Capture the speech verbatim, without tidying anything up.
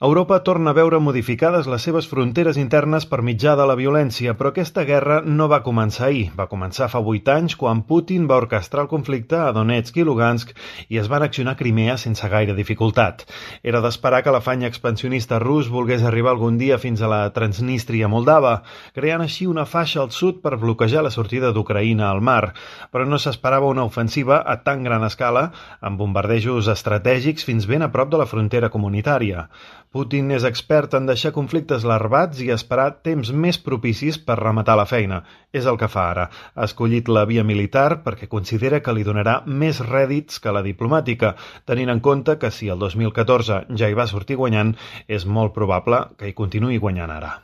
Europa torna a veure modificades les seves fronteres internes per mitjà de la violència, però aquesta guerra no va començar ahir. Va començar fa vuit anys, quan Putin va orquestrar el conflicte a Donetsk i Lugansk i es va annexionar Crimea sense gaire dificultat. Era d'esperar que l'afany expansionista rus volgués arribar algun dia fins a la Transnistria moldava, creant així una faixa al sud per bloquejar la sortida d'Ucraïna al mar. Però no s'esperava una ofensiva a tan gran escala, amb bombardejos estratègics fins ben a prop de la frontera comunitària. Putin és expert en deixar conflictes larvats i esperar temps més propicis per rematar la feina. És el que fa ara. Ha escollit la via militar perquè considera que li donarà més rèdits que la diplomàtica, tenint en compte que si el dos mil catorze ja hi va sortir guanyant, és molt probable que hi continuï guanyant ara.